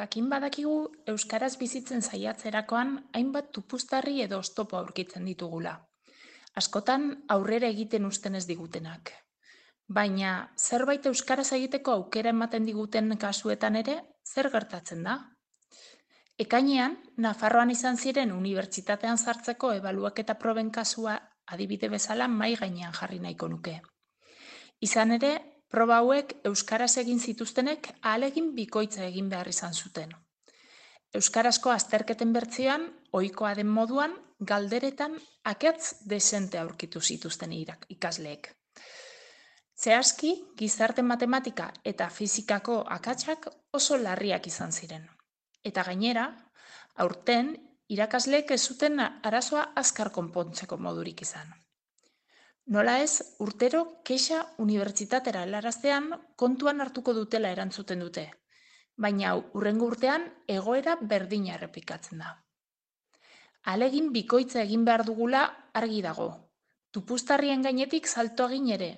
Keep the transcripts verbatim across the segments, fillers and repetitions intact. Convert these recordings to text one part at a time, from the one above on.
Jakin badakigu euskaraz bizitzen saiatzerakoan hainbat tupuztarri edo oztopo aurkitzen ditugula. Askotan aurrera egiten uzten ez digutenak. Baina zerbait euskaraz egiteko aukera ematen diguten kasuetan ere, zer gertatzen da? Ekainean, Nafarroan izan ziren unibertsitatean sartzeko ebaluaketa proben kasua adibide bezala mahai gainean jarri nahiko nuke. Izan ere, proba hauek euskaraz egin zituztenek ahalegin bikoitza egin behar izan zuten. Euskarazko azterketen bertsioan, ohikoa den moduan, galderetan akats desente aurkitu zituzten irak- ikasleek. Zehazki, gizarte matematika eta fizikako akatsak oso larriak izan ziren. Eta gainera, aurten, irakasleek ez zuten arazoa azkar konpontzeko modurik izan. Nola ez, urtero kexa unibertsitatera helaraztean kontuan hartuko dutela erantzuten dute, baina hurrengo urtean egoera berdina errepikatzen da. Ahalegin bikoitza egin behar dugula argi dago, tupuztarrien gainetik salto egin ere,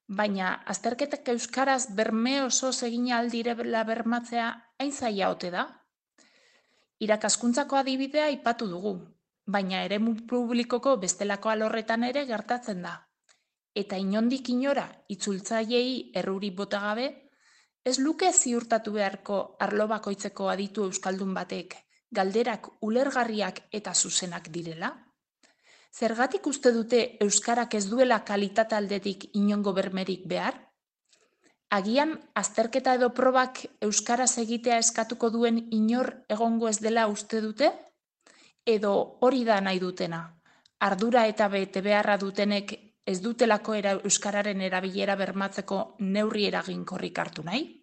baina azterketak euskaraz berme osoz egin ahal direla bermatzea hain zaila ote da? Irakaskuntzako adibidea aipatu dugu, baina eremu publikoko bestelako alorretan ere gertatzen da. Eta inondik inora itzultzaileei erruri bota gabe, ez luke ziurtatu beharko arlo bakoitzeko aditu euskaldun batek galderak ulergarriak eta zuzenak direla? Zergatik uste dute euskarak ez duela kalitate aldetik inongo bermerik behar? Agian azterketa edo probak euskaraz egitea eskatuko duen inor egongo ez dela uste dute? Edo hori da nahi dutena, ardura eta bete beharra dutenek ez dutelako era euskararen erabilera bermatzeko neurri eraginkorrik hartu nahi?